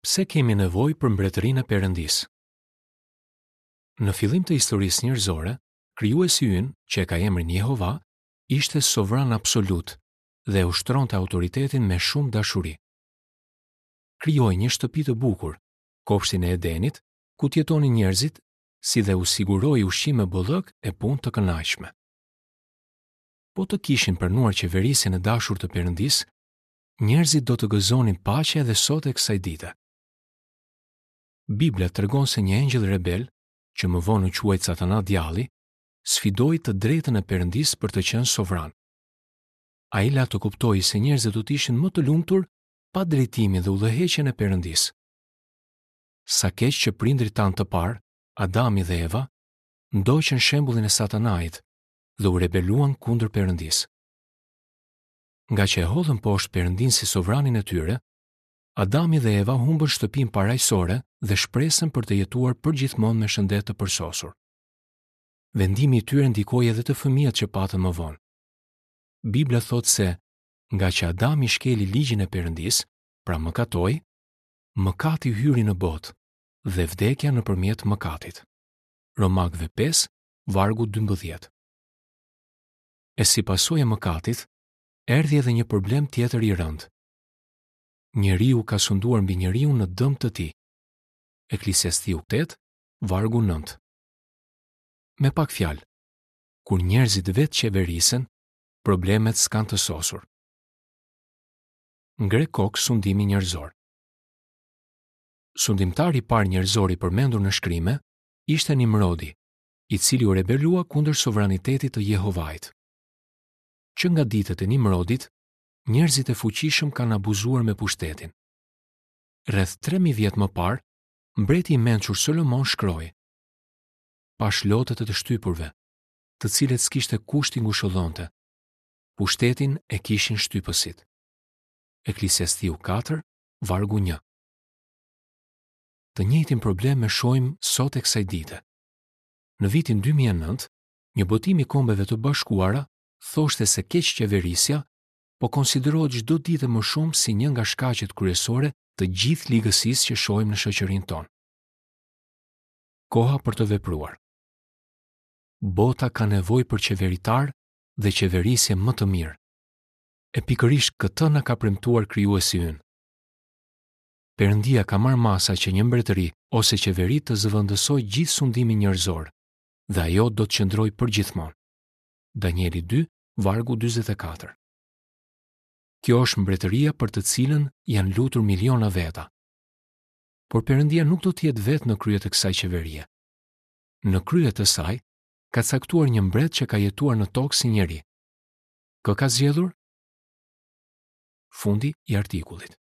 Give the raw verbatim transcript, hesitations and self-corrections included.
Pse kemi nevojë për mbretërinë e Perëndisë? Në fillim të historisë njerëzore, krijuesi ynë, që e ka emrin Jehova, ishte sovran absolut dhe e ushtronte autoritetin me shumë dashuri. Krijoi një shtëpi të bukur, kopshtin e Edenit, ku të jetonin njerëzit, si dhe u siguroi ushqim me bollëk e punë të kënaqshme. Po të kishin pranuar qeverisjen e dashur të Perëndisë, njerëzit do të gëzonin paqe edhe sot e kësaj dite. Bibla tregon se një engjëll rebel, që më vonë u quajt Satana djalli, sfidoi të drejtën e Perëndisë për të qenë sovran. Ai la të kuptojë se njerëzit do të ishin më të lumtur pa drejtimin dhe udhëheqjen e Perëndisë. Sa keq që prindrit tanë të parë, Adami dhe Eva, ndoqën shembullin e Satanait dhe u rebeluan kundër Perëndisë. Nga që e hodhën poshtë Perëndinë si sovranin e tyre, Adami dhe Eva humbën shtëpinë parajsore dhe shpresën për të jetuar përgjithmonë me shëndet të përsosur. Vendimi i tyre ndikoi edhe te fëmijët që patën më vonë. Bibla thotë se, nga që Adami shkeli ligjin e Perëndisë, pra mëkatoi, mëkati hyri në botë dhe vdekja nëpërmjet mëkatit. Romakëve pesë, vargu dymbëdhjetë. E si pasojë e mëkatit, erdhi edhe një problem tjetër i rëndë. Njeriu ka sunduar mbi njeriun në dëm të tij. Eklesiastiu tetë, vargu nëntë. Me pak fjalë, kur njerëzit vetë qeverisen, problemet s'kanë të sosur. Ngre kokë sundimi njerëzor. Sundimtari i parë njerëzor i përmendur në shkrime ishte Nimrodi, i cili u rebelua kundër sovranitetit të Jehovait. Që nga ditët e Nimrodit, njerëzit e fuqishëm kanë abuzuar me pushtetin. Rreth tre mijë vjet më parë, mbreti i mençur Solomon shkroi: Pash lotët e të shtypurve, të cilët s'kishte kush t'i ngushëllonte. Pushtetin e kishin shtypësit. Eklesiastiu katër, vargu një. Të njëjtin problem e shohim sot e kësaj dite. Në vitin dy mijë e nëntë, një botim i Kombeve të Bashkuara thoshte se keqqeverisja po konsiderohet çdo ditë më shumë si një nga shkaqet kryesore të gjithë ligësisë që shohim në shoqërinë tonë. Koha për të vepruar. Bota ka nevojë për qeveritar dhe qeverisje më të mirë. E pikërisht këtë na ka premtuar krijuesi ynë. Perëndia ka marrë masa që një mbretëri ose qeveri të zëvendësojë gjithë sundimin njerëzor, dhe ajo do të qëndrojë përgjithmonë. Danieli dy, vargu dyzet e katër. Kjo është mbretëria për të cilën janë lutur miliona veta. Por Perëndia nuk do të jetë vetë në krye të kësaj qeverie. Në krye të saj ka caktuar një mbret që ka jetuar në tokë si njeri. Kë ka zgjedhur? Fundi i artikullit.